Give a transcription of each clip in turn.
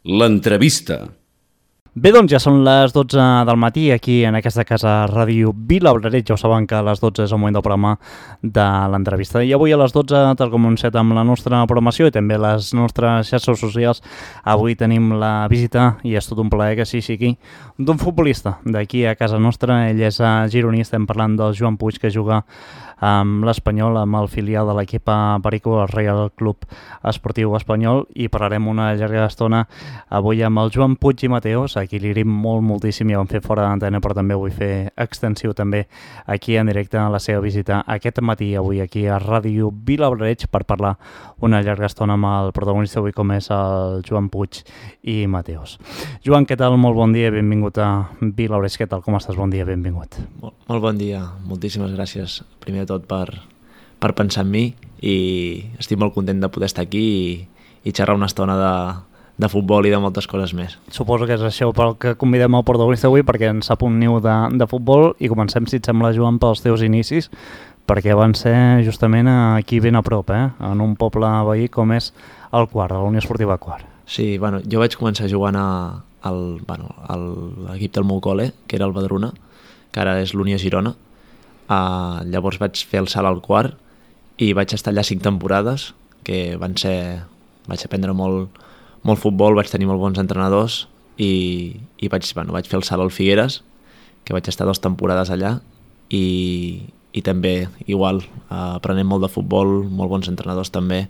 L'entrevista. Bé, doncs ja són les 12 del matí aquí en aquesta casa Ràdio Vilaobraret. Ja ho saben que a les 12 és el moment del programa de l'entrevista. I avui a les 12, tal com hem fet amb la nostra programació i també les nostres xarxes socials, avui tenim la visita, i és tot un plaer que sí sigui, d'un futbolista d'aquí a casa nostra. Ell és gironí, estem parlant del Joan Puig, que juga amb l'Espanyol, amb el filial de l'equip Perico, el Reial Club Esportiu Espanyol, i parlarem una llarga estona avui amb el Joan Puig i Mateos, a qui li agraïm moltíssim, ja ho vam fer fora d'antena, però també vull fer extensiu també aquí en directe la seva visita aquest matí, avui aquí a Ràdio Vilaobraret, per parlar una llarga estona amb el protagonista avui, com és el Joan Puig i Mateos. Joan, què tal? Molt bon dia, benvingut a Vilaobraret. Què tal? Com estàs? Bon dia, benvingut. Molt bon dia, moltíssimes gràcies primer de tot per pensar en mi, i estic molt content de poder estar aquí i xerrar una estona de futbol i de moltes coses més. Suposo que és això pel que convidem el protagonista avui, perquè en sap un niu de futbol, i comencem, si et sembla, Joan, pels teus inicis, perquè van ser justament aquí ben a prop, en un poble veí com és el Quart, a la Unió Esportiva Quart. Sí, bueno, jo vaig començar jugant a l'equip del meu col·le, que era el Badruna, que ara és l'Unió Girona. Llavors vaig fer el salt al Quart i vaig estar allà 5 temporades, que vaig aprendre molt futbol, vaig tenir molt bons entrenadors i vaig fer el salt al Figueres, que vaig estar 2 temporades allà, i també igual, aprenent molt de futbol, molt bons entrenadors també,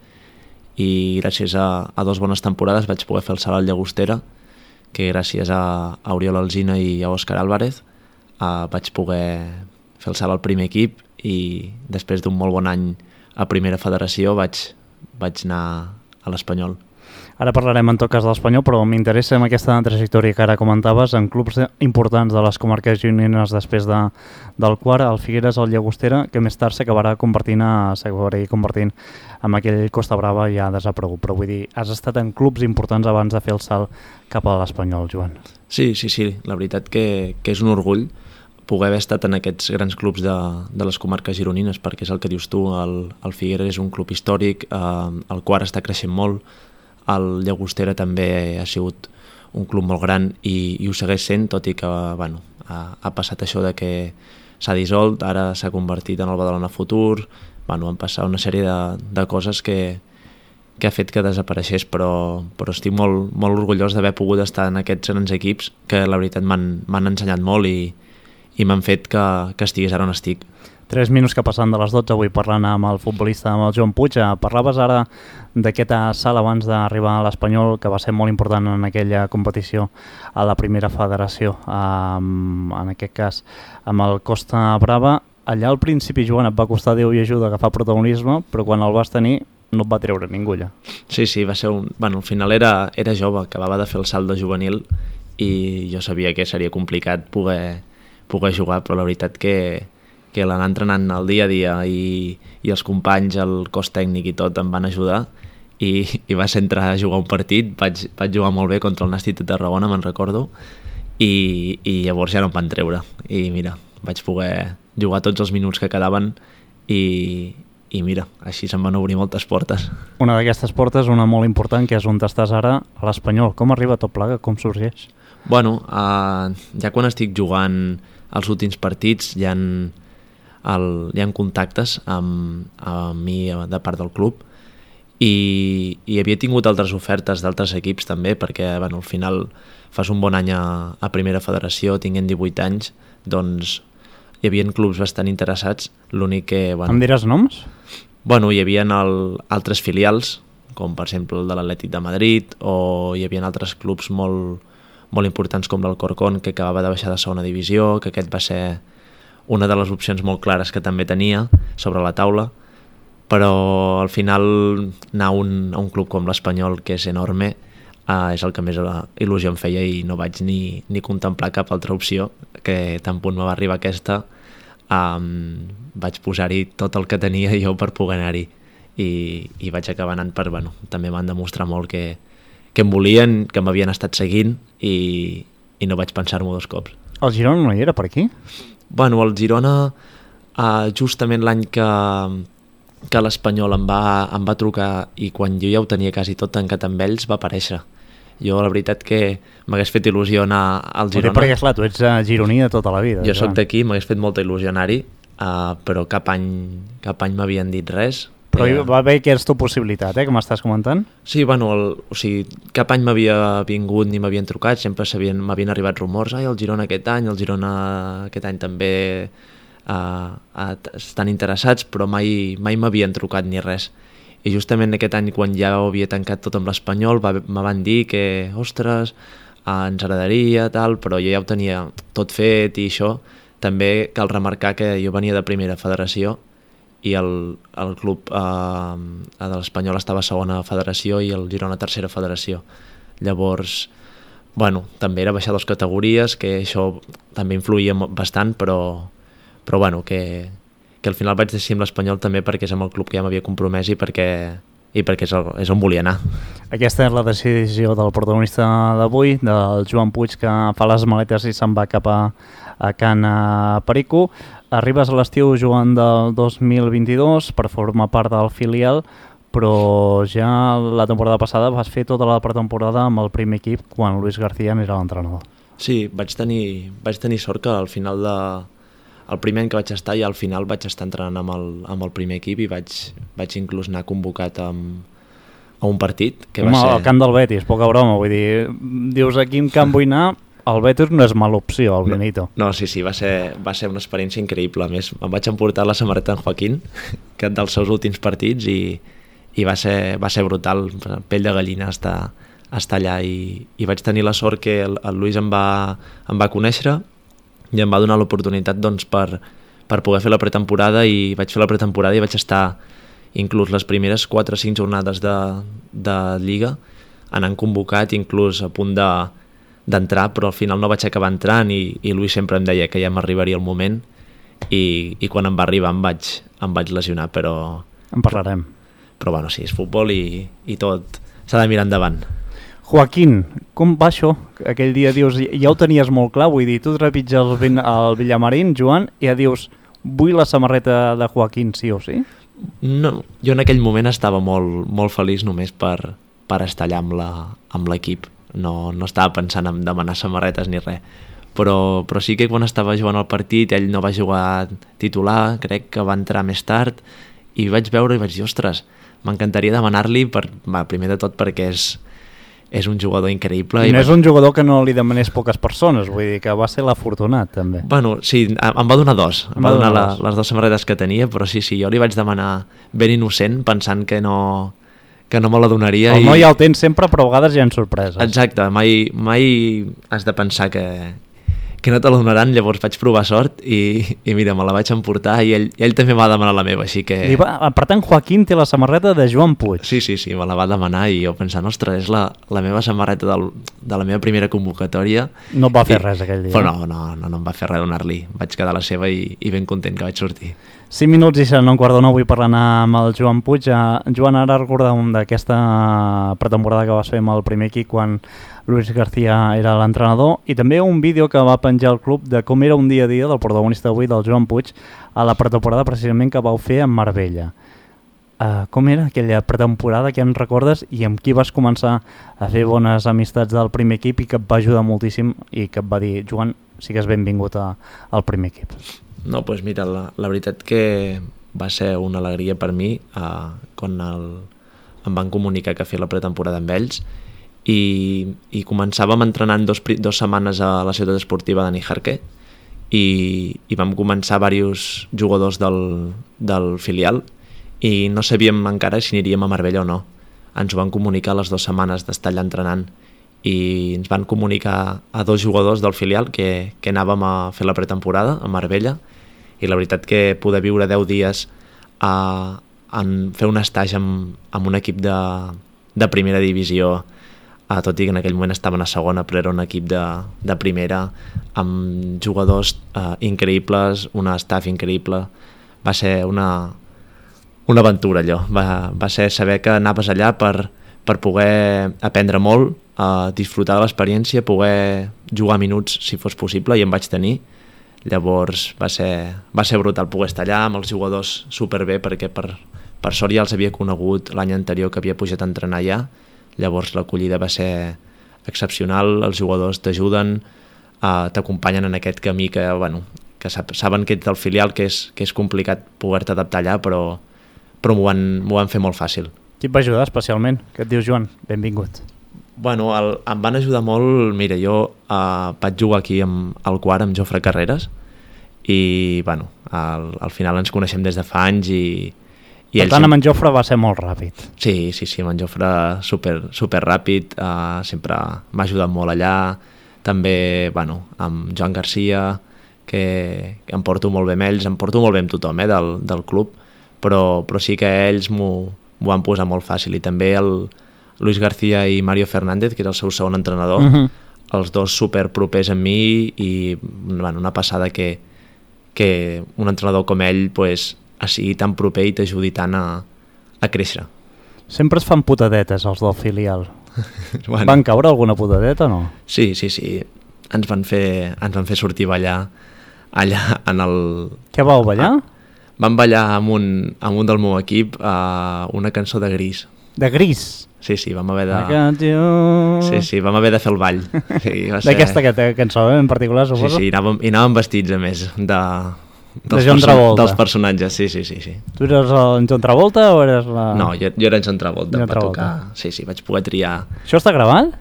i gràcies a 2 bones temporades vaig poder fer el salt al Llagostera, que gràcies a Oriol Alsina i a Òscar Álvarez vaig poder fer el salt al primer equip, i després d'un molt bon any a Primera Federació vaig anar a l'Espanyol. Ara parlarem en tot cas de l'Espanyol, però m'interessa en aquesta trajectòria que ara comentaves en clubs importants de les comarques gironines després del Quart, el Figueres, el Llagostera, que més tard s'acabarà convertint en aquell Costa Brava ja desaparegut. Però vull dir, has estat en clubs importants abans de fer el salt cap a l'Espanyol, Joan. Sí, la veritat que és un orgull poder haver estat en aquests grans clubs de les comarques gironines, perquè és el que dius tu, el Figueres és un club històric, el Quart està creixent molt, el Llagostera també ha sigut un club molt gran i ho segueix sent, tot i que ha passat això de que s'ha dissolt, ara s'ha convertit en el Badalona Futur, han passat una sèrie de coses que ha fet que desapareixés, però estic molt orgullós d'haver pogut estar en aquests grans equips que la veritat m'han ensenyat molt i m'han fet que estigués ara on estic. 3 minuts que passen de les 12, avui parlant amb el futbolista, amb el Joan Puig. Parlaves ara d'aquest salt abans d'arribar a l'Espanyol, que va ser molt important en aquella competició a la Primera Federació, en aquest cas amb el Costa Brava. Allà al principi, Joan, et va costar Déu i ajuda agafar protagonisme, però quan el vas tenir no et va treure ningú ja. Sí, va ser al final era jove, acabava de fer el salt de juvenil i jo sabia que seria complicat poder jugar, però la veritat que l'anar entrenant el dia a dia i els companys, el cos tècnic i tot em van ajudar, i va ser entrar a jugar un partit, vaig jugar molt bé contra el Nàstic de Tarragona, me'n recordo, i llavors ja no em van treure, i mira, vaig poder jugar tots els minuts que quedaven i mira, així se'm van obrir moltes portes. Una d'aquestes portes, una molt important, que és on estàs ara, a l'Espanyol. Com arriba tot plegat? Com sorgeix? Ja quan estic jugant els últims partits hi ha contactes amb mi de part del club, i havia tingut altres ofertes d'altres equips també, perquè al final fas un bon any a Primera Federació, tinguent 18 anys, doncs hi havia clubs bastant interessats, l'únic que... Em diràs noms? Hi havia altres filials, com per exemple el de l'Atlètic de Madrid, o hi havia altres clubs molt importants com l'Alcorcón, que acabava de baixar de segona divisió, que aquest va ser una de les opcions molt clares que també tenia sobre la taula, però al final anar a un club com l'Espanyol, que és enorme, és el que més il·lusió em feia, i no vaig ni contemplar cap altra opció, que tan punt me va arribar aquesta, vaig posar-hi tot el que tenia jo per poder anar-hi, i vaig acabar anant també m'han demostrat molt que em volien, que m'havien estat seguint, i no vaig pensar-m'ho 2 cops. El Girona no hi era per aquí? El Girona, justament l'any que l'Espanyol em va trucar, i quan jo ja ho tenia quasi tot tancat amb ells, va aparèixer. Jo la veritat que m'hagués fet il·lusió anar al Girona. Perquè clar, tu ets gironí de tota la vida. Jo soc d'aquí, m'hagués fet molta il·lusió anar-hi, però cap any m'havien dit res. Però va haver aquesta possibilitat, que m'estàs comentant? Sí, bueno, o sigui, cap any m'havia vingut ni m'havien trucat, sempre m'havien arribat rumors, el Girona aquest any, el Girona aquest any també estan interessats, però mai m'havien trucat ni res. I justament aquest any, quan ja ho havia tancat tot amb l'Espanyol, me van dir que, ostres, ens agradaria, tal, però jo ja ho tenia tot fet i això. També cal remarcar que jo venia de primera federació i el club de l'Espanyol estava a segona federació i el Girona tercera federació. Llavors, bueno, també era baixar 2 categories, que això també influïa bastant, però bueno, que al final vaig decidir amb l'Espanyol també perquè és amb el club que ja m'havia compromès i perquè és on volia anar. Aquesta és la decisió del protagonista d'avui, del Joan Puig, que fa les maletes i se'n va cap a Can Perico. Arribes a l'estiu jugant del 2022 per formar part del filial, però ja la temporada passada vas fer tota la pretemporada amb el primer equip quan Luis García n'era l'entrenador. Sí, vaig tenir sort que al final el primer any que vaig estar i al final vaig estar entrenant amb el primer equip i vaig inclús anar convocat a un partit. Al camp del Betis, poca broma, vull dir, dius a quin camp vull anar, el Betis no és mala opció, el Benito. No, sí, va ser una experiència increïble. A més, em vaig emportar la samarreta en Joaquín, que dels seus últims partits, i va ser brutal, pell de gallina estar allà, i vaig tenir la sort que el Luis em va conèixer i em va donar l'oportunitat doncs, per poder fer la pretemporada, i vaig fer la pretemporada i vaig estar inclús les primeres 4 o 5 jornades de Lliga anant convocat, inclús a punt d'entrar, però al final no vaig acabar entrant i Luis sempre em deia que ja m'arribaria el moment i quan em va arribar em vaig lesionar, però... En parlarem. Però bueno, sí, és futbol i tot s'ha de mirar endavant. Joaquín, com va això? Aquell dia dius, ja ho tenies molt clar, vull dir, tu trepitges el Villamarín, Joan, i ja dius, vull la samarreta de Joaquín, sí o sí? No, jo en aquell moment estava molt, molt feliç només per estar allà amb l'equip. No estava pensant en demanar samarretes ni res. Però sí que quan estava jugant el partit, ell no va jugar titular, crec que va entrar més tard, i vaig veure i vaig dir, ostres, m'encantaria demanar-li, primer de tot perquè és un jugador increïble. I no és un jugador que no li demanés poques persones, vull dir que va ser l'afortunat també. Bueno, sí, em va donar 2, em va donar les 2 samarretes que tenia, però sí, jo li vaig demanar ben innocent, pensant que no me la donaria. El noi ja el tens sempre, però a vegades hi ha sorpreses. Exacte, mai has de pensar que no te la donaran, llavors vaig provar sort i mira, me la vaig emportar i ell també va demanar la meva, així que... Per tant, Joaquín té la samarreta de Joan Puig. Sí, me la va demanar i jo pensant, ostres, és la meva samarreta de la meva primera convocatòria. No va fer res aquell dia. Però no em va fer res donar-li. Vaig quedar a la seva i ben content que vaig sortir. 5 minuts i serà un quart d'una avui parlant amb el Joan Puig. Joan, ara recordàvem d'aquesta pretemporada que vas fer amb el primer equip quan Luis García era l'entrenador, i també un vídeo que va penjar el club de com era un dia a dia del protagonista avui, del Joan Puig, a la pretemporada precisament que vau fer amb Marbella. Com era aquella pretemporada, que en recordes, i amb qui vas començar a fer bones amistats del primer equip i que et va ajudar moltíssim i que et va dir, Joan, sigues benvingut al primer equip? No, doncs mira, la veritat que va ser una alegria per mi quan em van comunicar que feia la pretemporada amb ells i començàvem entrenant 2 setmanes a la ciutat esportiva de Nijarque i vam començar diversos jugadors del filial i no sabíem encara si aniríem a Marbella o no. Ens ho van comunicar les 2 setmanes d'estar allà entrenant i ens van comunicar a 2 jugadors del filial que anàvem a fer la pretemporada a Marbella, i la veritat que poder viure 10 dies en fer un estatge amb un equip de primera divisió, tot i que en aquell moment estaven a segona, però era un equip de primera, amb jugadors increïbles, un staff increïble, va ser una aventura allò. Va ser saber que anaves allà per poder aprendre molt, disfrutar de l'experiència, poder jugar minuts si fos possible, i em vaig tenir. Llavors va ser brutal poder estar allà amb els jugadors superbé, perquè per sort ja els havia conegut l'any anterior que havia pujat a entrenar allà. Llavors l'acollida va ser excepcional, els jugadors t'ajuden, t'acompanyen en aquest camí que, bueno, que saben que ets del filial, que és complicat poder-te adaptar allà, però m'ho van fer molt fàcil. Qui et va ajudar especialment? Què et dius, Joan? Benvingut. Bueno, em van ajudar molt. Mira, jo vaig jugar aquí al quart amb Jofre Carreras i, bueno, al final ens coneixem des de fa anys i per tant, amb en Jofre va ser molt ràpid. Sí, amb en Jofre super ràpid, sempre m'ha ajudat molt allà. També, bueno, amb Joan Garcia, que em porto molt bé amb ells, em porto molt bé amb tothom del club, però sí que ells m'ho van posar molt fàcil. I també el Luis García i Mario Fernández, que era el seu segon entrenador, els dos super propers amb mi i, bueno, una passada que un entrenador com ell pues, sigui tan proper i t'ajudi tant a créixer. Sempre es fan putadetes els del filial. Bueno. Van caure alguna putadeta o no? Sí. Ens van fer sortir a ballar allà en el... Què vau ballar? Vam ballar amb un del meu equip una cançó de Gris. De Gris? Sí, vam haver de... Sí, vam haver de fer el ball. Sí, d'aquesta cançó en particular, suposo? Sí, i anàvem vestits, a més, de John Travolta. Dels personatges, sí. Tu eres en John Travolta o eres la... No, jo era en John Travolta, va tocar... Sí, vaig poder triar... Això està gravat?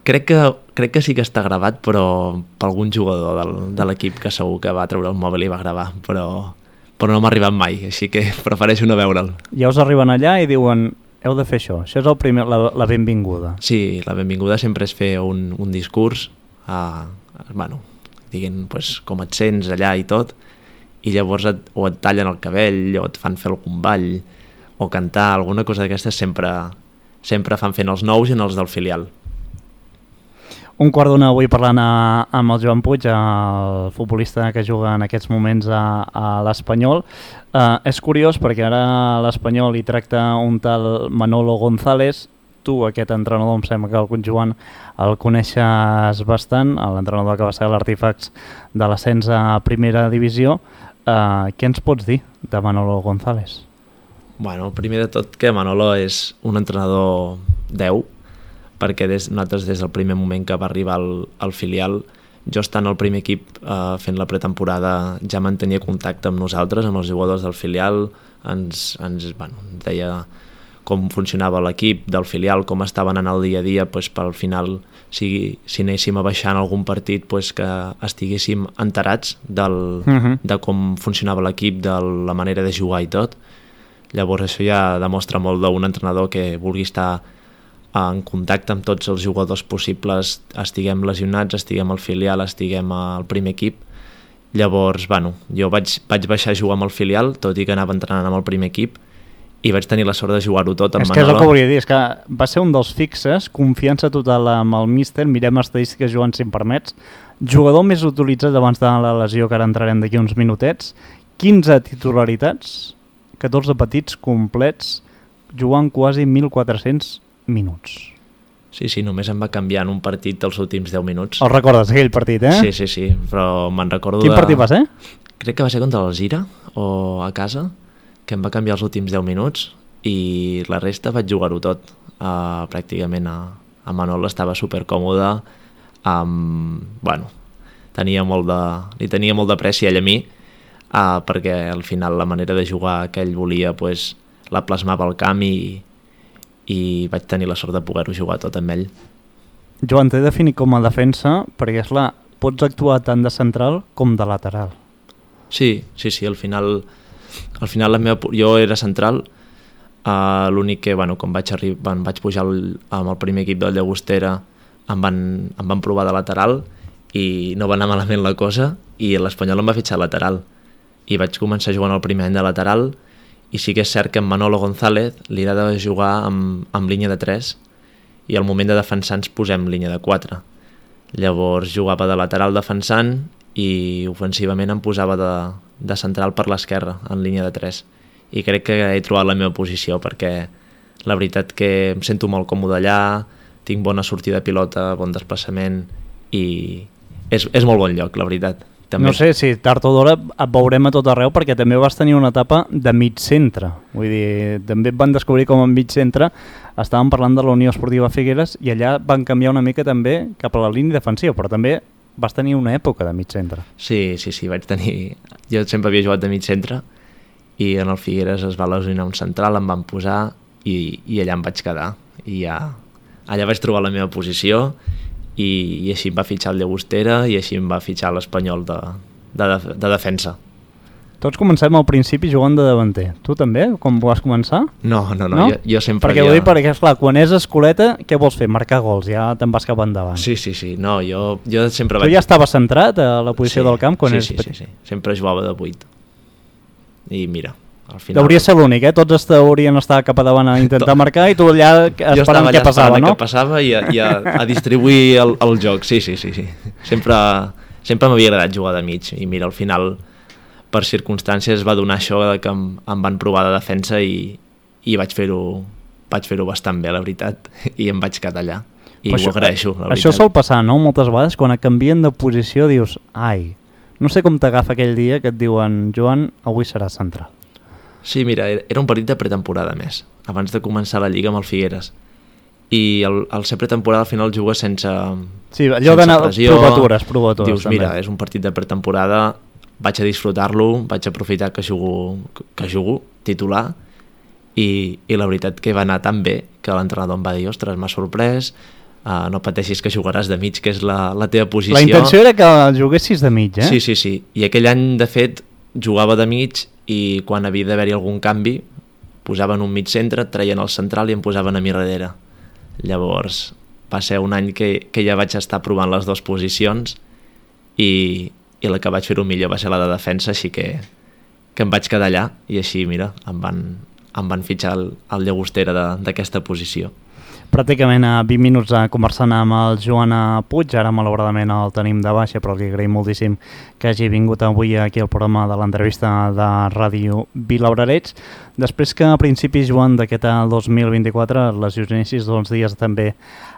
Crec que sí que està gravat, però per algun jugador de l'equip que segur que va treure el mòbil i va gravar, però no m'ha arribat mai, així que prefereixo no veure'l. Ja us arriben allà i diuen... Heu de fer això és el primer, la benvinguda. Sí, la benvinguda sempre és fer un discurs, bueno, diguin pues, com et sents allà i tot, i llavors o et tallen el cabell, o et fan fer algun ball, o cantar, alguna cosa d'aquestes sempre fan fent els nous i els del filial. Un quart d'una avui parlant amb el Joan Puig, el futbolista que juga en aquests moments a l'Espanyol. És curiós perquè ara l'Espanyol hi tracta un tal Manolo González. Tu, aquest entrenador, em sembla que el Joan el coneixes bastant, l'entrenador que va ser l'Artifacts de l'ascens a primera divisió. Què ens pots dir de Manolo González? Bueno, primer de tot que Manolo és un entrenador 10, perquè nosaltres des del primer moment que va arribar al filial, jo estant al primer equip fent la pretemporada ja mantenia contacte amb nosaltres, amb els jugadors del filial, ens deia com funcionava l'equip del filial, com estaven en el dia a dia, pues, pel final si anéssim a baixar en algun partit pues, que estiguéssim enterats de com funcionava l'equip, de la manera de jugar i tot. Llavors això ja demostra molt d'un entrenador que vulgui estar en contacte amb tots els jugadors possibles, estiguem lesionats, estiguem al filial, estiguem al primer equip. Llavors, jo vaig baixar a jugar amb el filial, tot i que anava entrenant amb el primer equip, i vaig tenir la sort de jugar-ho tot amb Manolo. És que és el que volia dir, és que va ser un dels fixes, confiança total amb el míster, mirem estadístiques, Joan, si em permets, jugador més utilitzat abans de la lesió, que ara entrarem d'aquí uns minutets, 15 titularitats, 14 petits complets, jugant quasi 1.400 minuts. Sí, només em va canviar en un partit dels últims 10 minuts. El recordes, aquell partit, eh? Sí, però me'n recordo Quin partit va ser? Crec que va ser contra l'Alzira, o a casa, que em va canviar els últims 10 minuts, i la resta vaig jugar-ho tot. Pràcticament a Manolo estava supercòmode, li tenia molt de pressa ell a mi, perquè al final la manera de jugar que ell volia pues, la plasmava al camp i vaig tenir la sort de poder-ho jugar tot amb ell. Joan, t'he definit com a defensa perquè pots actuar tant de central com de lateral. Sí, al final jo era central, l'únic que quan vaig pujar amb el primer equip del Llagostera em van provar de lateral i no va anar malament la cosa i l'Espanyol em va fitxar lateral i vaig començar jugant el primer any de lateral. I sí que és cert que en Manolo González li agrada jugar amb línia de 3 i al moment de defensar ens posem línia de 4. Llavors jugava de lateral defensant i ofensivament em posava de central per l'esquerra en línia de 3. I crec que he trobat la meva posició perquè la veritat que em sento molt còmode allà, tinc bona sortida de pilota, bon desplaçament i és molt bon lloc, la veritat. També... No sé si tard o d'hora et veurem a tot arreu, perquè també vas tenir una etapa de mig centre. Vull dir, també et van descobrir com a mig centre. Estàvem parlant de la Unió Esportiva Figueres i allà van canviar una mica també cap a la línia defensiva, però també vas tenir una època de mig centre. Sí, vaig tenir... Jo sempre havia jugat de mig centre i en el Figueres es va lesionar un central, em van posar i allà em vaig quedar. I ja, allà vaig trobar la meva posició i així em va fitxar el Llagostera i així em va fitxar l'Espanyol de defensa. Tots comencem al principi jugant de davanter. Tu també, com vas començar? No? Jo sempre perquè ho dic perquè, esclar, quan és escoleta, què vols fer? Marcar gols, ja te'n vas cap endavant. Sí. No, jo sempre Tu ja estaves centrat a la posició del camp quan eres petit? Sí. Sempre jugava de 8. I mira, al final... Hauria ser l'únic, Tots haurien estar cap a davant a intentar marcar i tu allà esperant què passava, no? Jo estava allà esperant què passava i a distribuir el joc, sí. Sempre m'havia agradat jugar de mig i mira, al final, per circumstàncies, va donar això que em van provar de defensa i vaig fer-ho bastant bé, la veritat, i em vaig quedar allà. I ho agraeixo, la veritat. Això sol passar, no? Moltes vegades, quan et canvien de posició, dius, ai, no sé com t'agafa aquell dia que et diuen, Joan, avui serà central. Sí, mira, era un partit de pretemporada més, abans de començar la Lliga amb el Figueres. I al ser pretemporada al final jugues sense allò d'anar provatures dius, també. Mira, és un partit de pretemporada, vaig a disfrutar-lo, vaig a aprofitar que jugo titular i la veritat que va anar tan bé que l'entrenador em va dir, ostres, m'ha sorprès, no pateixis que jugaràs de mig, que és la teva posició. La intenció era que juguessis de mig, Sí. I aquell any, de fet, jugava de mig i quan havia d'haver-hi algun canvi posaven un mig centre, traien el central i em posaven a mi darrere. Llavors va ser un any que ja vaig estar provant les dues posicions i la que vaig fer-ho millor va ser la de defensa, així que em vaig quedar allà i així, mira, em van fitxar el Llagostera d'aquesta posició. Pràcticament a 20 minuts conversant amb el Joan Puig, ara malauradament el tenim de baixa, però li agraïm moltíssim que hagi vingut avui aquí al programa de l'entrevista de Ràdio Vilaurarets. Després que a principis, Joan, d'aquest 2024 lesionessis 2 dies també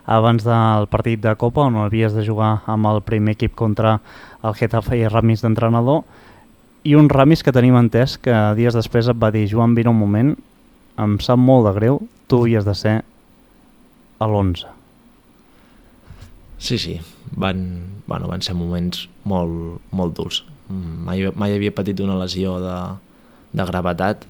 abans del partit de Copa, on havies de jugar amb el primer equip contra el Getafe i Ramis d'entrenador, i un Ramis que tenim entès que dies després et va dir, Joan, vine un moment, em sap molt de greu, tu havies de ser a l'11. Sí, van ser moments molt durs. Mai havia patit una lesió de gravetat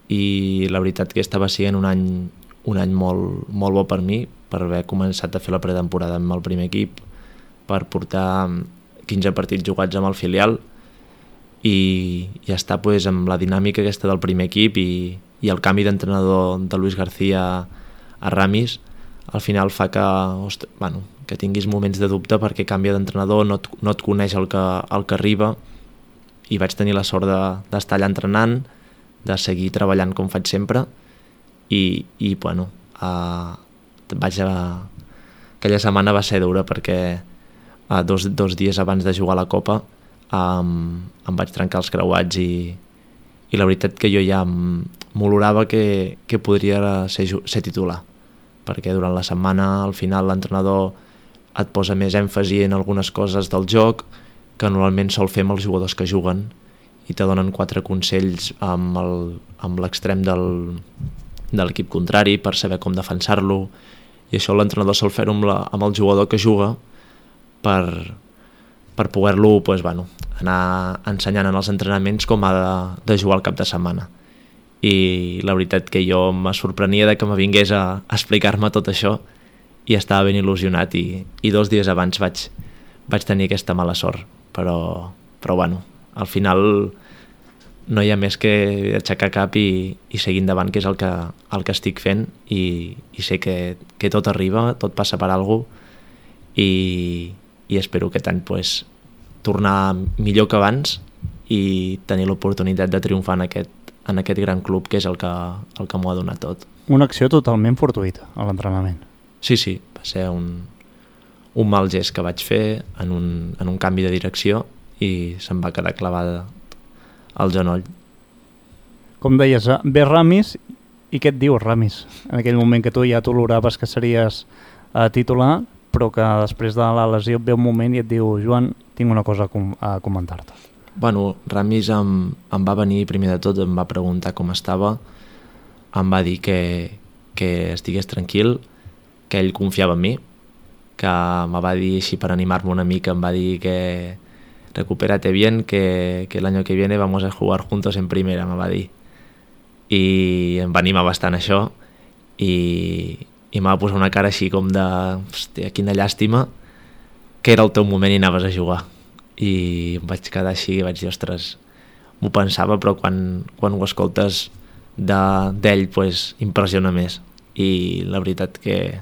i la veritat que estava sent un any molt bo per mi, per haver començat a fer la pretemporada amb el primer equip, per portar 15 partits jugats amb el filial i estar amb la dinàmica aquesta del primer equip i el canvi d'entrenador de Luis García a Ramis al final fa que tinguis moments de dubte perquè canvia d'entrenador, no et coneix el que arriba i vaig tenir la sort d'estar allà entrenant, de seguir treballant com faig sempre i aquella setmana va ser dura perquè dos dies abans de jugar a la Copa em vaig trencar els creuats i la veritat que jo ja m'olorava que podria ser titular, perquè durant la setmana al final l'entrenador et posa més èmfasi en algunes coses del joc que normalment sol fer amb els jugadors que juguen i te donen 4 consells amb l'extrem de l'equip contrari per saber com defensar-lo i això l'entrenador sol fer-ho amb el jugador que juga per poder-lo anar ensenyant en els entrenaments com ha de jugar al cap de setmana. I la veritat que jo me sorprenia de que me vingués a explicar-me tot això i estava ben il·lusionat i 2 dies abans vaig tenir aquesta mala sort, però al final no hi ha més que aixecar cap i seguir endavant, que és el que estic fent i sé que tot arriba, tot passa per alguna cosa i espero aquest any tornar millor que abans i tenir l'oportunitat de triomfar en aquest gran club que és el que m'ho ha donat tot. Una acció totalment fortuïta a l'entrenament. Sí, va ser un mal gest que vaig fer en un canvi de direcció i se'm va quedar clavada al genoll. Com deies, ve Ramis i què et diu Ramis? En aquell moment que tu ja t'oloraves que series titular, però però que després de la lesió et ve un moment i et diu Joan, tinc una cosa a comentar-te. Bueno, Ramis em va venir primer de tot, em va preguntar com estava, em va dir que estigués tranquil, que ell confiava en mi, que me va dir així per animar-me una mica, em va dir que recupérate bien, que el año que viene vamos a jugar juntos en primera, me va dir. I em va animar bastant això i em va posar una cara així com de hòstia, quina llàstima que era el teu moment i anaves a jugar. I em vaig quedar així i vaig dir, ostres, m'ho pensava, però quan ho escoltes d'ell pues, impressiona més. I la veritat que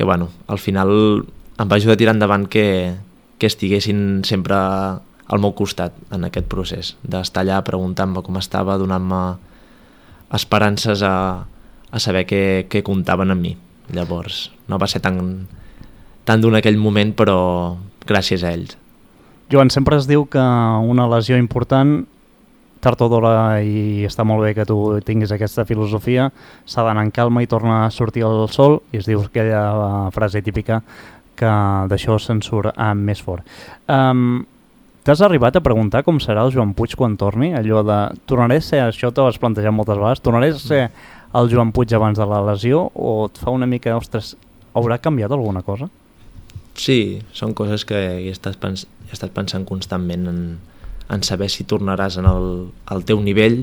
bueno, al final em va ajudar a tirar endavant que estiguessin sempre al meu costat en aquest procés, d'estar allà preguntant-me com estava, donant-me esperances a saber que comptaven amb mi. Llavors, no va ser tan dur en aquell moment, però gràcies a ells. Joan, sempre es diu que una lesió important, tard o d'hora, i està molt bé que tu tinguis aquesta filosofia, s'ha d'anar en calma i torna a sortir el sol, i es diu aquella frase típica que d'això se'n surt més fort. T'has arribat a preguntar com serà el Joan Puig quan torni? Allò de, tornaré a ser, això t'ho has plantejat moltes vegades, tornaré a ser el Joan Puig abans de la lesió, o et fa una mica, ostres, haurà canviat alguna cosa? Sí, són coses que he estat pensant constantment en saber si tornaràs al teu nivell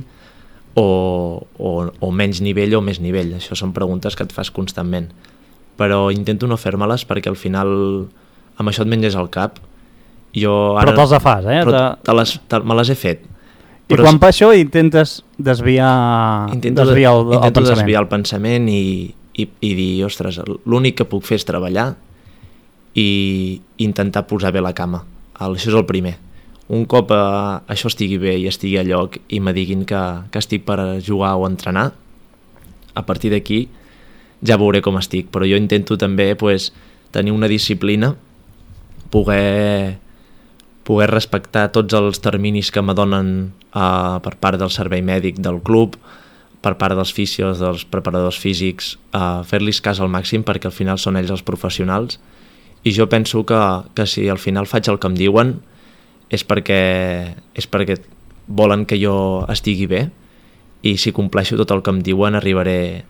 o menys nivell o més nivell. Això són preguntes que et fas constantment. Però intento no fer-me-les perquè al final amb això et menges el cap. Però te'ls fas, eh? Però me les he fet. I quan fa això intentes desviar el pensament. Intento desviar el pensament i dir, ostres, l'únic que puc fer és treballar i intentar posar bé la cama. Això és el primer. Un cop això estigui bé i estigui a lloc i me diguin que estic per jugar o entrenar, a partir d'aquí ja veuré com estic, però jo intento també tenir una disciplina, poder respectar tots els terminis que me donen per part del servei mèdic del club, per part dels fisios, dels preparadors físics, fer-los cas al màxim perquè al final són ells els professionals. I jo penso que si al final faig el que em diuen és perquè volen que jo estigui bé, i si compleixo tot el que em diuen arribaré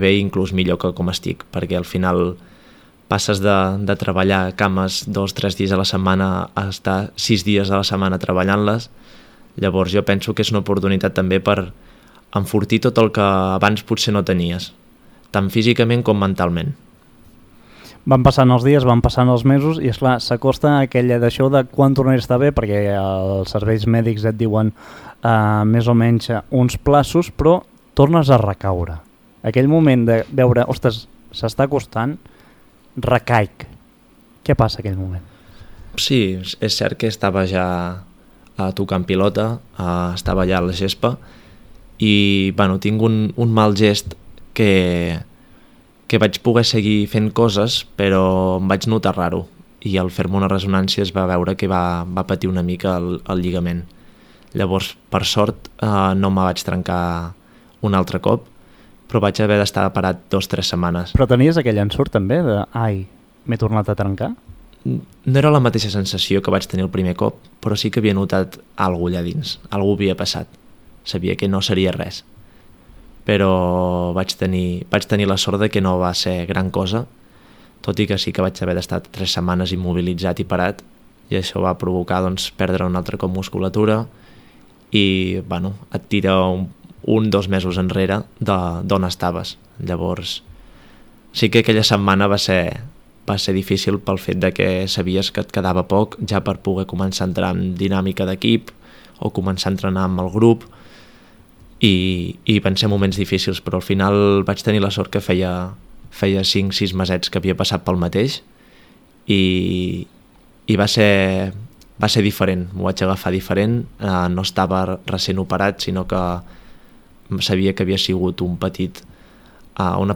bé inclús millor que com estic, perquè al final passes de treballar cames 2-3 dies a la setmana a estar 6 dies a la setmana treballant-les. Llavors jo penso que és una oportunitat també per enfortir tot el que abans potser no tenies, tant físicament com mentalment. Van passant els dies, van passant els mesos i esclar, s'acosta aquella d'això de quan tornaré a estar bé, perquè els serveis mèdics et diuen més o menys uns plaços, però tornes a recaure. Aquell moment de veure, ostres, s'està acostant, recaic. Què passa aquell moment? Sí, és cert que estava ja tocant pilota, estava ja a la gespa i bueno, tinc un mal gest que vaig poder seguir fent coses, però em vaig notar raro i al fer-me una resonància es va veure que va patir una mica el lligament. Llavors, per sort, no me vaig trencar un altre cop, però vaig haver d'estar parat 2-3 setmanes. Però tenies aquell ensurt també de ai, m'he tornat a trencar? No era la mateixa sensació que vaig tenir el primer cop, però sí que havia notat alguna allà dins, alguna havia passat. Sabia que no seria res. Però vaig tenir la sort de que no va ser gran cosa, tot i que sí que vaig haver d'estar 3 setmanes immobilitzat i parat, i això va provocar perdre un altre cop musculatura i bueno, et tira 1-2 mesos enrere d'on estaves. Llavors sí que aquella setmana va ser difícil pel fet de que sabies que et quedava poc ja per poder començar a entrar en dinàmica d'equip o començar a entrenar amb el grup, i van ser moments difícils, però al final vaig tenir la sort que feia 5-6 mesets que havia passat pel mateix i va ser diferent, m'ho vaig agafar diferent, no estava recent operat, sinó que sabia que havia sigut una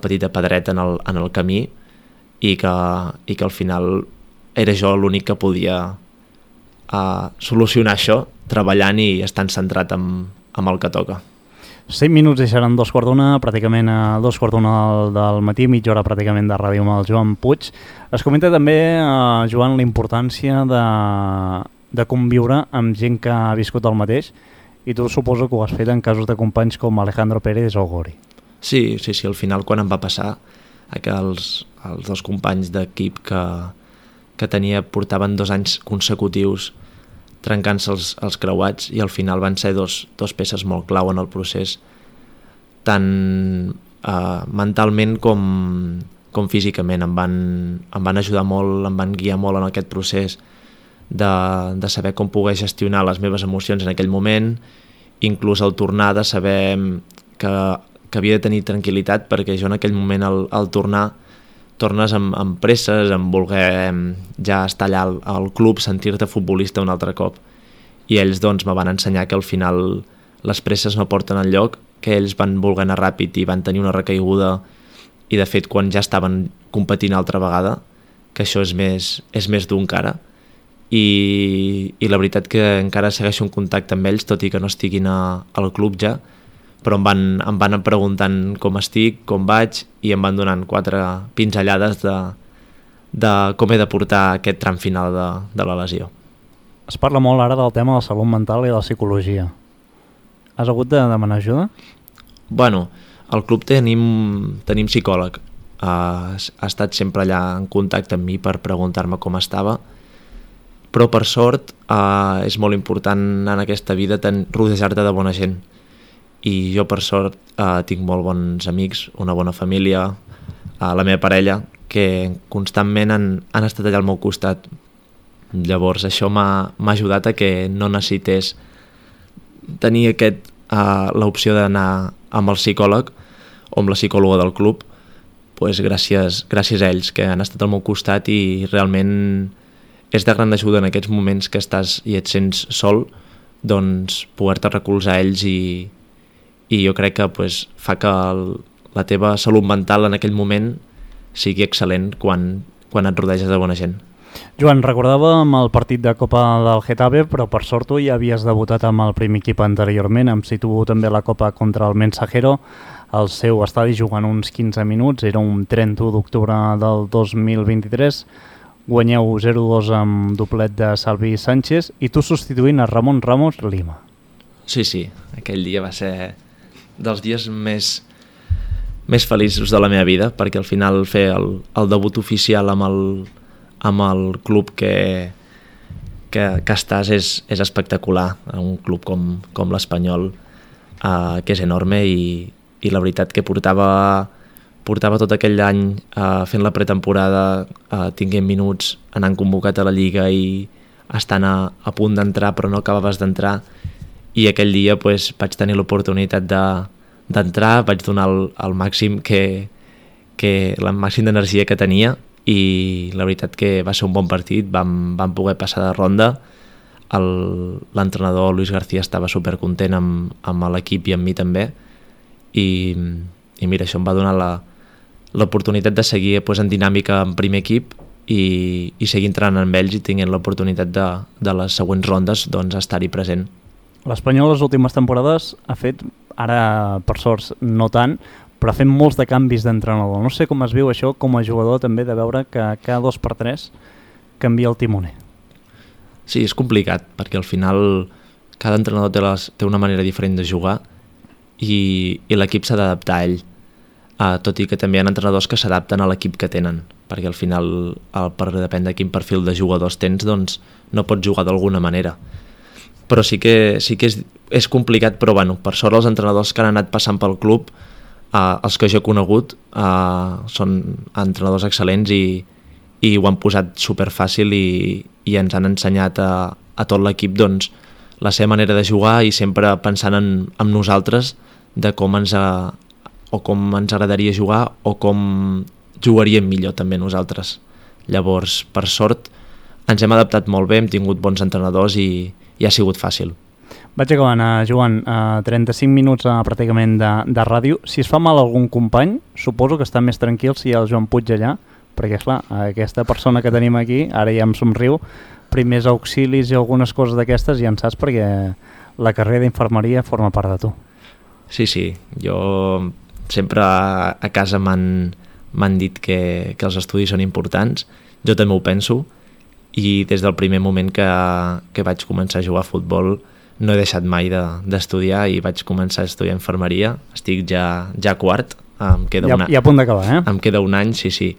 petita pedreta en el camí i que al final era jo l'únic que podia solucionar això treballant i estant centrat amb el que toca. 5 minuts i seran 2:15, pràcticament a 2:15 del matí, mitja hora pràcticament de ràdio amb el Joan Puig. Es comenta també, Joan, la importància de conviure amb gent que ha viscut el mateix, i tu suposo que ho has fet en casos de companys com Alejandro Pérez o Gori. Sí, al final quan em va passar que els dos companys d'equip que tenia portaven 2 anys consecutius trencant-se els creuats, i al final van ser dos peces molt clau en el procés, tant mentalment com físicament. Em van ajudar molt, em van guiar molt en aquest procés de saber com poder gestionar les meves emocions en aquell moment, inclús al tornar de saber que havia de tenir tranquil·litat, perquè jo en aquell moment al tornar tornes amb presses, amb voler ja estar allà al club, sentir-te futbolista un altre cop, i ells doncs me van ensenyar que al final les presses no porten enlloc, que ells van voler anar ràpid i van tenir una recaiguda, i de fet quan ja estaven competint altra vegada, que això és més dur encara, i la veritat que encara segueixo en contacte amb ells, tot i que no estiguin al club ja, però em van preguntant com estic, com vaig, i em van donant 4 pinzellades de com he de portar aquest tram final de la lesió. Es parla molt ara del tema de la salut mental i de la psicologia. Has hagut de demanar ajuda? Bueno, al club tenim psicòleg. Ha estat sempre allà en contacte amb mi per preguntar-me com estava, però per sort és molt important en aquesta vida rodejar-te de bona gent, i jo per sort tinc molt bons amics, una bona família, la meva parella, que constantment han estat allà al meu costat. Llavors això m'ha ajudat a que no necessités tenir l'opció d'anar amb el psicòleg o amb la psicòloga del club, pues gràcies a ells que han estat al meu costat, i realment és de gran ajuda en aquests moments que estàs i et sents sol, doncs poder-te recolzar a ells, i jo crec que pues, fa que la teva salut mental en aquell moment sigui excel·lent quan et rodeges de bona gent. Joan, recordàvem el partit de Copa del Getafe, però per sort tu ja havies debutat amb el primer equip anteriorment, em situo també la Copa contra el Mensajero, al seu estadi jugant uns 15 minuts, era un 31 d'octubre del 2023, guanyeu 0-2 amb doblet de Salvi Sánchez i tu substituint a Ramon Ramos Lima. Sí, aquell dia va ser dels dies més feliços de la meva vida, perquè al final fer el debut oficial amb el club que estàs és espectacular, un club com l'Espanyol, que és enorme, i la veritat que portava tot aquell any fent la pretemporada, tinguent minuts, anant convocat a la Lliga i estant a punt d'entrar però no acabaves d'entrar, i aquell dia pues, vaig tenir l'oportunitat d'entrar, vaig donar el màxim el màxim d'energia que tenia, i la veritat que va ser un bon partit, vam poder passar de ronda. L'entrenador Luis García estava supercontent amb l'equip i amb mi també, i mira, això em va donar l'oportunitat de seguir pues, en dinàmica en primer equip i seguir entrant amb ells i tenint l'oportunitat de les següents rondes doncs, estar-hi present. L'Espanyol les últimes temporades ha fet, ara per sort no tant, però ha fet molts de canvis d'entrenador. No sé com es viu això com a jugador també, de veure que cada 2x3 canvia el timoner. Sí, és complicat, perquè al final cada entrenador té una manera diferent de jugar i l'equip s'ha d'adaptar a ell. Tot i que també hi ha entrenadors que s'adapten a l'equip que tenen, perquè al final, depèn de quin perfil de jugadors tens, doncs no pots jugar d'alguna manera. Però sí que és complicat, però bueno, per sort els entrenadors que han anat passant pel club, els que jo he conegut, són entrenadors excel·lents i ho han posat superfàcil i ens han ensenyat a tot l'equip doncs, la seva manera de jugar i sempre pensant en nosaltres de com ens agradaria jugar o com jugaríem millor també nosaltres. Llavors, per sort, ens hem adaptat molt bé, hem tingut bons entrenadors i ha sigut fàcil. Vaig acabant, Joan, 35 minuts pràcticament de ràdio. Si es fa mal a algun company, suposo que està més tranquil si hi ha el Joan Puig allà, perquè, esclar, aquesta persona que tenim aquí, ara ja em somriu, primers auxilis i algunes coses d'aquestes ja en saps perquè la carrera d'infermeria forma part de tu. Sí, jo sempre a casa m'han dit que els estudis són importants, jo també ho penso, i des del primer moment que vaig començar a jugar a futbol no he deixat mai d'estudiar i vaig començar a estudiar infermeria, estic ja quart, em queda a punt d'acabar, em queda un any, sí,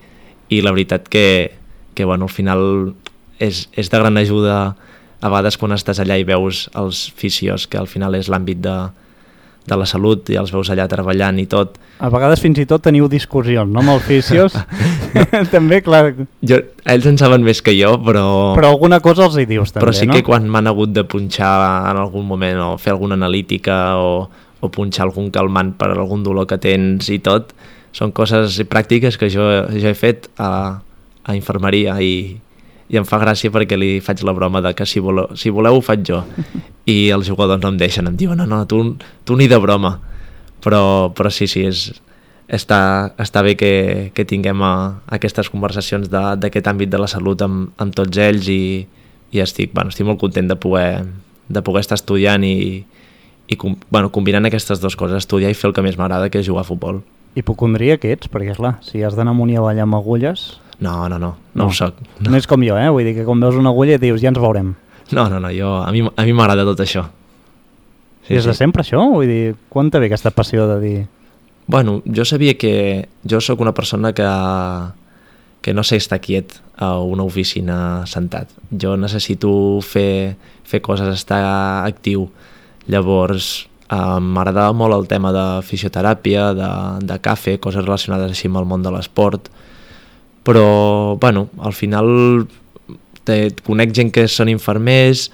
i la veritat que bueno, al final és de gran ajuda a vegades quan estàs allà i veus els fisios, que al final és l'àmbit de la salut i els veus allà treballant i tot. A vegades fins i tot teniu discussions, no, amb els fisios? També, clar. Ells en saben més que jo, però... Però alguna cosa els hi dius també, no? Però sí que quan m'han hagut de punxar en algun moment o fer alguna analítica o punxar algun calmant per algun dolor que tens i tot, són coses pràctiques que jo he fet a infermeria i em fa gràcia perquè li faig la broma de que si voleu ho faig jo, i els jugadors no em deixen, em diuen no, tu ni de broma, però sí, està bé que tinguem aquestes conversacions d'aquest àmbit de la salut amb tots ells i estic molt content de poder estar estudiant i combinant aquestes dues coses, estudiar i fer el que més m'agrada, que és jugar a futbol. Hipocondria que ets, perquè clar, si has d'anar amunt i avall amb agulles... No ho soc. No és com jo, vull dir que quan veus una agulla et dius ja ens veurem. No, a mi m'agrada tot això. Sí, des de sempre això? Vull dir, quan te ve aquesta passió de dir... Bueno, jo sabia que jo sóc una persona que no sé estar quiet a una oficina sentat. Jo necessito fer coses, estar actiu. Llavors, m'agradava molt el tema de fisioteràpia, de cafè, coses relacionades així amb el món de l'esport, però al final conec gent que són infermers,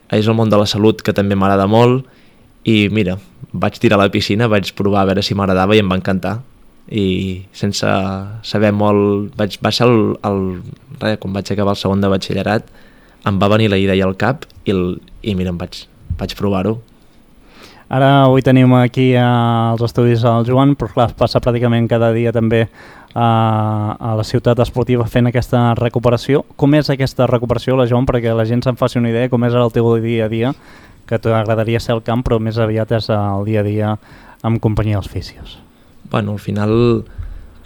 és el món de la salut que també m'agrada molt, i mira, vaig tirar a la piscina, vaig provar a veure si m'agradava i em va encantar, i sense saber molt, va ser quan vaig acabar el segon de batxillerat, em va venir la idea al cap i mira, vaig provar-ho. Ara avui tenim aquí als estudis el Joan, però clar, passa pràcticament cada dia també a la ciutat esportiva fent aquesta recuperació. Com és aquesta recuperació, la Joan, perquè la gent se'n faci una idea, com és el teu dia a dia, que t'agradaria ser al camp, però més aviat és el dia a dia amb companyia dels fisios? Al final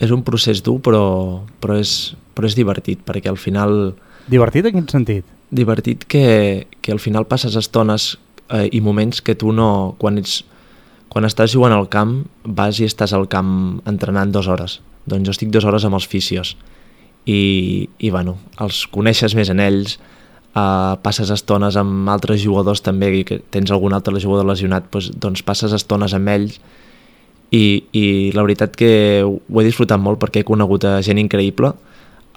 és un procés dur, però és divertit, perquè al final... Divertit en quin sentit? Divertit que al final passes estones i moments que tu no... Quan estàs jugant al camp, vas i estàs al camp entrenant 2 hores. Doncs jo estic 2 hores amb els fisios i els coneixes més en ells, passes estones amb altres jugadors també, i que tens algun altre jugador lesionat, doncs passes estones amb ells i la veritat que ho he disfrutat molt perquè he conegut gent increïble.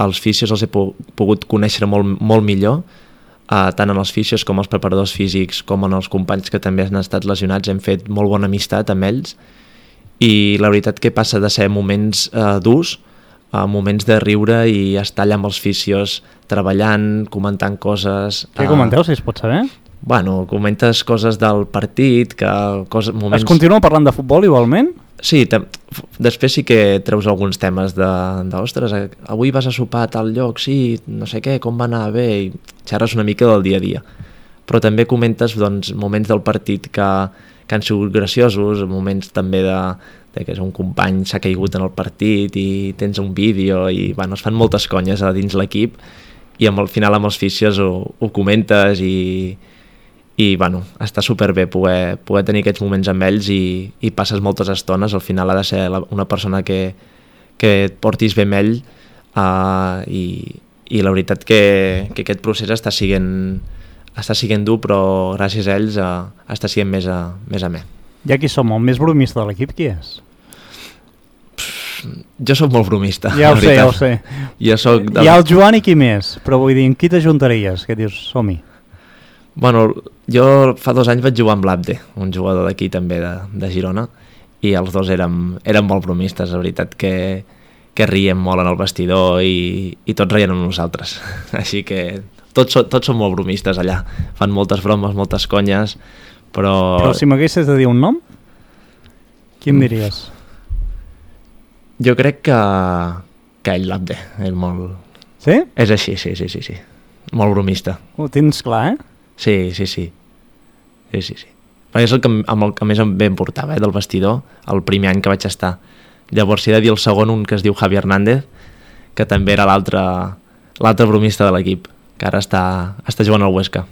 Els fisios els he pogut conèixer molt millor, tant en els fisios com els preparadors físics com en els companys que també han estat lesionats. Hem fet molt bona amistat amb ells i la veritat que passa de ser moments durs a moments de riure i estar allà amb els fisios treballant, comentant coses. Què comenteu, si es pot saber? Comentes coses del partit, moments... Es continua parlant de futbol igualment? Sí, després sí que treus alguns temes ostres, avui vas a sopar a tal lloc, sí, no sé què, com va anar, bé, i xerres una mica del dia a dia. Però també comentes moments del partit que han sigut graciosos, moments també de que un company s'ha caigut en el partit i tens un vídeo i es fan moltes conyes a dins l'equip i al final amb els fisios ho comentes i està superbé poder tenir aquests moments amb ells i passes moltes estones. Al final ha de ser una persona que et portis bé amb ell i la veritat que aquest procés està sent dur, però gràcies a ells està sent més amè. I aquí som, el més bromista de l'equip, qui és? Jo sóc molt bromista. Ja ho sé. Hi ha el Joan i qui més, però vull dir, amb qui t'ajuntaries? Què dius, som-hi? Jo fa 2 anys vaig jugar amb l'Abde, un jugador d'aquí també de Girona, i els dos érem molt bromistes, la veritat que riem molt en el vestidor i tots reien amb nosaltres. Així que tots són molt bromistes allà, fan moltes bromes, moltes conyes, però si m'haguessis de dir un nom, qui em diries? Jo crec que ell, l'Abde, és molt... Sí? És així, sí. Molt bromista. Ho tens clar, Sí. perquè és amb el que més em bé em portava, del vestidor, el primer any que vaig estar. Llavors, si he de dir el segon, un que es diu Javi Hernández, que també era l'altre bromista de l'equip, que ara està jugant al Huesca.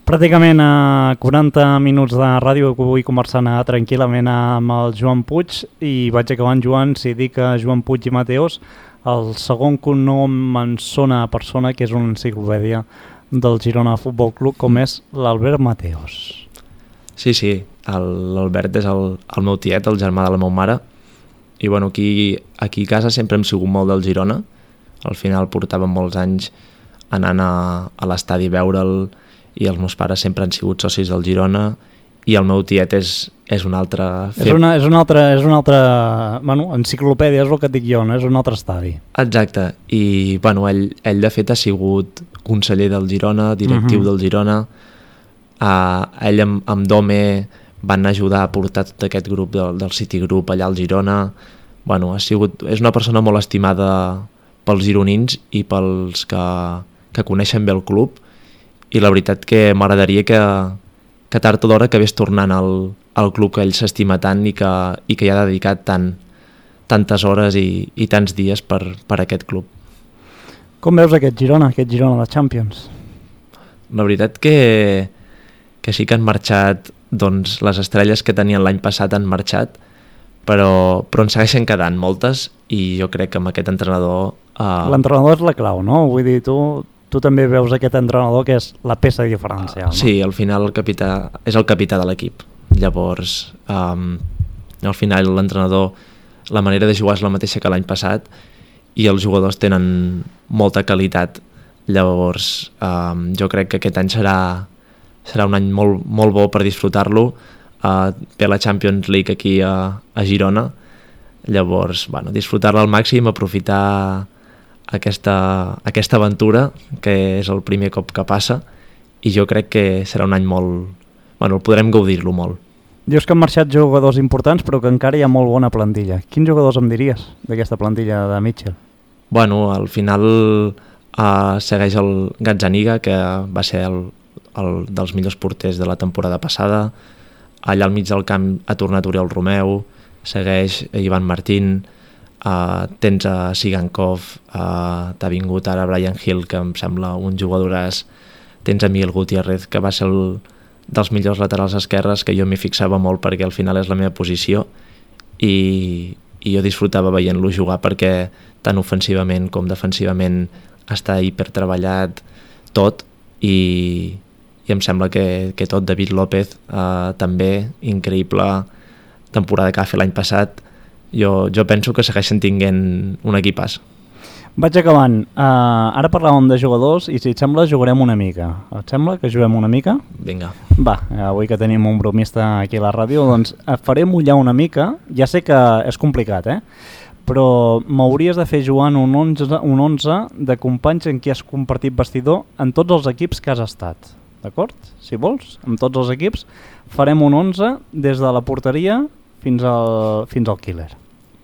Pràcticament a 40 minuts de ràdio que vull conversar tranquil·lament amb el Joan Puig i vaig acabant, Joan, si dic Joan Puig i Mateos, el segon cognom em sona a persona que és una enciclopèdia del Girona Futbol Club, com és l'Albert Mateos. Sí, l'Albert és el meu tiet, el germà de la meva mare, i bueno, aquí a casa sempre hem sigut molt del Girona. Al final portàvem molts anys anant a l'estadi a veure'l, i els meus pares sempre han sigut socis del Girona, i el meu tiet és un altre... És una altra bueno, enciclopèdia, és el que et dic jo, no? És un altre estadi. Exacte, i bueno, ell de fet ha sigut conseller del Girona, directiu del Girona. Ell amb Dome van ajudar a portar tot aquest grup del City Group allà al Girona. Bueno, és una persona molt estimada pels gironins i pels que coneixen bé el club, i la veritat que m'agradaria que tard o d'hora acabés tornant al club que ell s'estima tant i que hi ha dedicat tantes hores i tants dies per aquest club. Com veus aquest Girona de Champions? La veritat que sí que han marxat, doncs les estrelles que tenien l'any passat han marxat, però en segueixen quedant moltes, i jo crec que amb aquest entrenador... L'entrenador és la clau, no? Vull dir, tu també veus aquest entrenador que és la peça diferencial, no? Sí, al final el capità és el capità de l'equip. Llavors, al final l'entrenador, la manera de jugar és la mateixa que l'any passat, i els jugadors tenen molta qualitat. Llavors, jo crec que aquest any serà un any molt, molt bo per disfrutar-lo. Ve la Champions League aquí a Girona. Llavors, bueno, disfrutar-la al màxim, aprofitar aquesta aventura, que és el primer cop que passa, i jo crec que serà un any molt... Bueno, podrem gaudir-lo molt. Dius que han marxat jugadors importants, però que encara hi ha molt bona plantilla. Quins jugadors em diries d'aquesta plantilla de Mitchell? Bueno, al final segueix el Gazzaniga, que va ser el dels millors porters de la temporada passada. Allà al mig del camp ha tornat Oriol Romeu, segueix Ivan Martín, tens a Sigankov, t'ha vingut ara Brian Hill, que em sembla un jugadoràs, tens a Miguel Gutiérrez, que va ser dels millors laterals esquerres, que jo m'hi fixava molt perquè al final és la meva posició, i jo disfrutava veient-lo jugar perquè tant ofensivament com defensivament està hipertreballat tot, i em sembla que tot. David López també, increïble temporada que va fer l'any passat. Jo penso que segueixen tinguent un equipàs. Vaig acabant. Ara parlàvem de jugadors i si et sembla jugarem una mica. Et sembla que juguem una mica? Vinga. Va, avui que tenim un bromista aquí a la ràdio, doncs et faré mullar una mica. Ja sé que és complicat, però m'hauries de fer jugar un 11 de companys en qui has compartit vestidor en tots els equips que has estat. D'acord? Si vols, amb tots els equips farem un 11 des de la porteria fins al killer.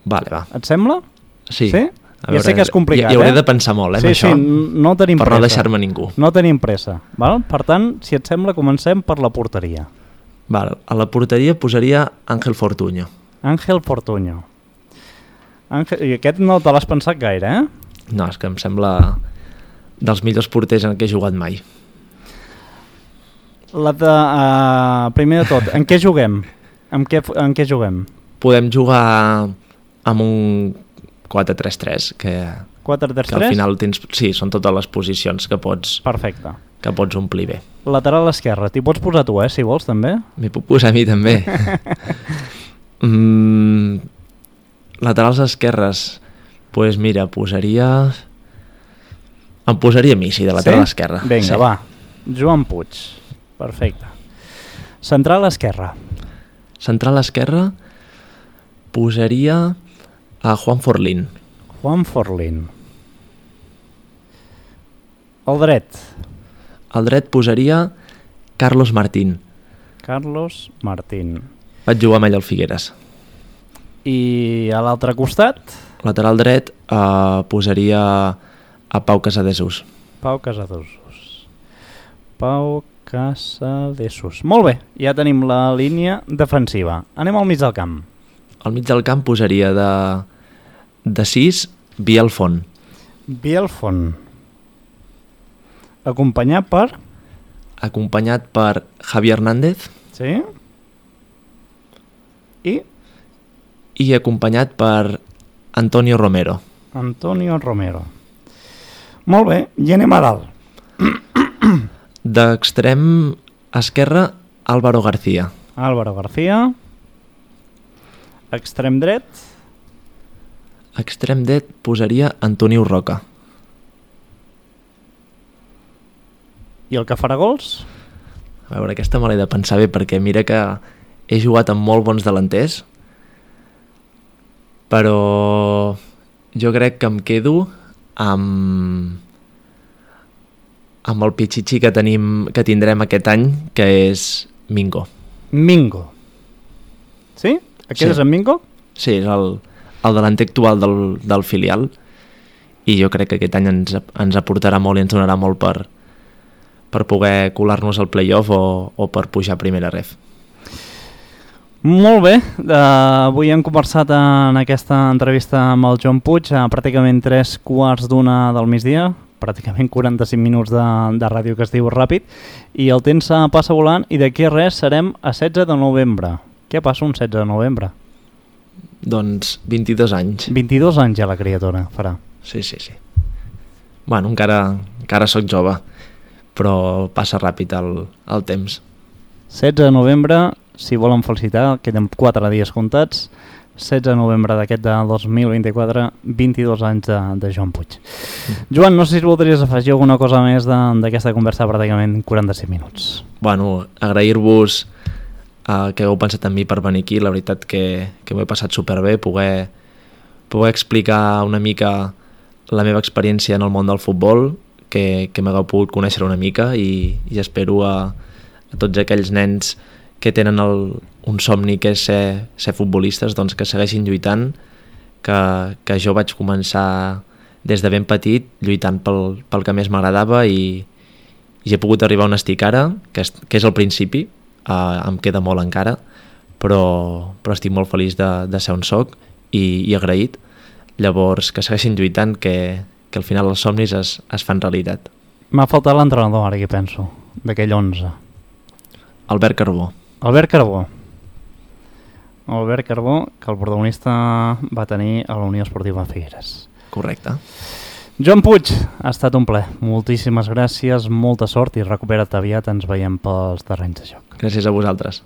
Vale, va. Et sembla? Sí. Sí? Ja sé que és complicat, hi hauré de pensar molt, amb això. Sí, no tenim per pressa. No deixar-me ningú. No tenim pressa. Val? Per tant, si et sembla, comencem per la porteria. Val. A la porteria posaria Ángel Fortuño. Ángel Fortuño. I aquest no te l'has pensat gaire, No, és que em sembla dels millors porters en què he jugat mai. Primer de tot, en què juguem? En què juguem? Podem jugar amb un 4-3-3, que 4-3-3? que al final tens... Sí, són totes les posicions que pots... Perfecte. Que pots omplir bé. Lateral esquerre, t'hi pots posar tu, si vols, també? M'hi puc posar a mi, també. Laterals esquerres, doncs mira, em posaria a mi, sí, de lateral esquerra. Vinga, sí. va. Joan Puig. Perfecte. Central esquerra. Central esquerra posaria a Juan Forlín. Juan Forlín. El dret. Al dret posaria Carlos Martín. Carlos Martín. Vaig jugar amb ell al Figueres. I a l'altre costat? Lateral dret posaria a Pau Casadesús. Pau Casadesús. Pau Casadesús. Molt bé, ja tenim la línia defensiva. Anem al mig del camp. Al mig del camp posaria de 6 Biel Font. Biel Font. Acompanyat per... Acompanyat per Javi Hernández. Sí. I acompanyat per Antonio Romero. Antonio Romero. Molt bé, i anem a dalt. D'extrem esquerre, Álvaro García. Álvaro García. Extrem dret. Extrem dret posaria Antonio Roca. I el que farà gols? A veure, aquesta me l'he de pensar bé perquè mira que he jugat amb molt bons delanters, però jo crec que em quedo amb el pitxitxi que tindrem aquest any, que és Mingo. Mingo. Sí? Aquest és en Mingo? Sí, és el delanter actual del filial, i jo crec que aquest any ens aportarà molt i ens donarà molt per poder colar-nos al playoff o per pujar a primera ref. Molt bé, avui hem conversat en aquesta entrevista amb el Joan Puig a pràcticament 3:15 del migdia, pràcticament 45 minuts de ràdio que es diu ràpid, i el temps passa volant i d'aquí res serem a 16 de novembre. Què passa un 16 de novembre? Doncs 22 anys. 22 anys ja la criatura farà. Sí. Bueno, encara sóc jove, però passa ràpid el temps. 16 de novembre, si volen felicitar, queden 4 dies comptats. 16 de novembre d'aquest de 2024, 22 anys de Joan Puig. Joan, no sé si voldries afegir alguna cosa més d'aquesta conversa de pràcticament 45 minuts. Bueno, agrair-vos que heu pensat en mi per venir aquí. La veritat que m'ho he passat superbé, poder explicar una mica la meva experiència en el món del futbol, que m'hagueu pogut conèixer una mica, i espero a tots aquells nens que tenen un somni que és ser futbolistes, doncs que segueixin lluitant, que jo vaig començar des de ben petit lluitant pel que més m'agradava i he pogut arribar on estic ara, que és el principi, em queda molt encara, però estic molt feliç de ser on soc i agraït. Llavors, que segueixin lluitant, que al final els somnis es fan realitat. M'ha faltat l'entrenador, ara que penso, d'aquell 11. Albert Carbó. Albert Carbó, que el protagonista va tenir a la Unió Esportiva Figueres. Correcte. Joan Puig, ha estat un plaer. Moltíssimes gràcies, molta sort i recupera't aviat, ens veiem pels terrenys de joc. Gràcies a vosaltres.